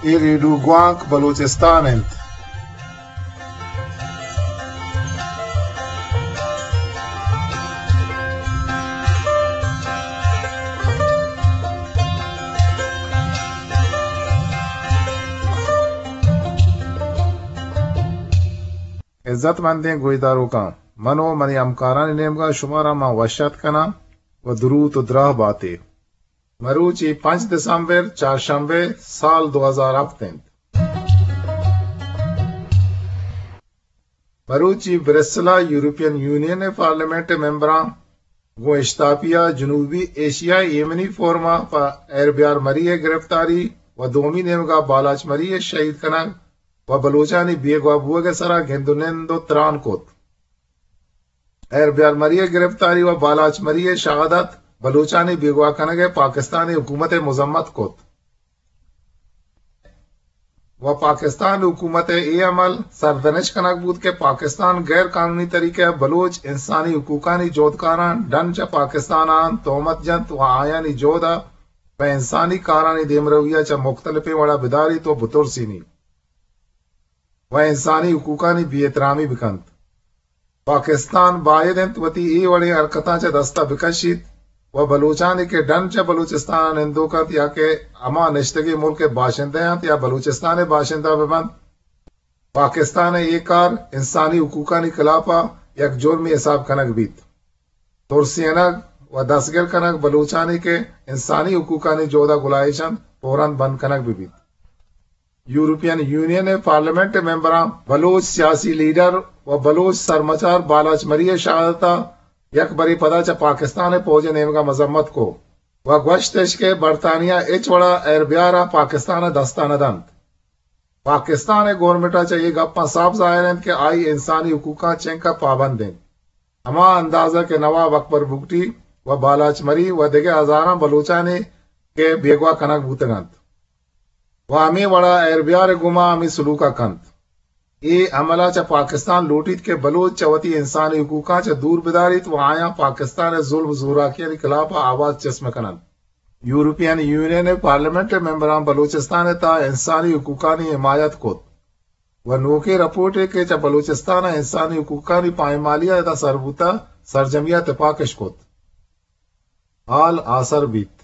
اے ریڈیو گوانک بلوچستان انت۔ عزت مندیں گوشداروکاں، من و منی ہمکارانی نیمگا شمارا ما وش اتک کناں و دروت و دراہ باتے۔ مروچی پنچ دسمبر، چارشنبے، سال دو ہزار ہفت انت۔ مروچی برسلا یورپین یونین پارلیمنٹ ممبراں گوں اشتاپیا جنوبی ایشیا ایمنی فورما پہ ایر بیار مری گرفتاری و دومی نیمگا بالاچ مری شہید کنگ و بلوچانی بیگواہ بوگ سرا گند و نند و تران کت۔ ایر بیار مری گرفتاری و بالاچ مری شہادت بلوچانی بیگواہ کنگ پاکستانی حکومت مذمت کت و پاکستان حکومت اے عمل سرزنش کنگ بوت کہ پاکستان غیر قانونی طریقہ بلوچ انسانی حقوقانی جہدکاراں ڈن چہ پاکستان آن تہمت جنت و آیانی جہد پہ انسانی کارانی دیمروی چہ مختلفیں وڑا بداریت و بترسینی و انسانی حقوقانی بے احترامی بکنت۔ پاکستان باید انت وتی اے وڑیں حرکتاں چہ دستا بکشیت و بلوچانی کہ ڈن چہ بلوچستان نندوک انت یا کہ ہما نشتگیں ملک باشندہ انت یا بلوچستان باشندہ ببنت، پاکستان اے کار انسانی حقوقانی خلاف یک جرمے حساب کنگ بیت۔ ترسینگ و دستگیر کنگ بلوچانی کہ انسانی حقوقانی جہدا گلائیش انت، فوراً بند کنگ ببیت۔ یورپین یونین پارلیمنٹ ممبراں بلوچ سیاسی لیڈر و بلوچ سرمچار بالاچ مری شہادتا یک برے پدا چہ پاکستان فوج نیمگا مذمت کو و گوشتش کہ برطانیہ ہچ وڑا ایر بیارا پاکستان دستا نہ دنت۔ پاکستان گورنمنٹ چہ اے گپاں صاف ظاہر انت کہ آئی انسانی حقوقاں چنکا پابند انت۔ ہما اندازہ کہ نواب اکبر بگٹی و بالاچ مری و دگہ ہزاراں بلوچانے کہ بیگواہ کنگ بوتگ انت۔ و ہمے وڑا ایر بیار گوما ہمے سلوکا کنت۔ اے عملا چہ پاکستان لوٹیت کہ بلوچ چہ وتی انسانی حقوقاں چہ دور بداریت و آیاں پاکستان ظلم و زوراکیانی خلاف آواز چست مکننت۔ یورپین یونین پارلیمنٹ ممبراں بلوچستان تہا انسانی حقوقانی حمایت کت و نوکیں رپورٹے کہ چہ بلوچستان انسانی حقوقانی پائمالی تہا سر بوتا سرجمیا تپاکش کت۔ حال آسر بیت۔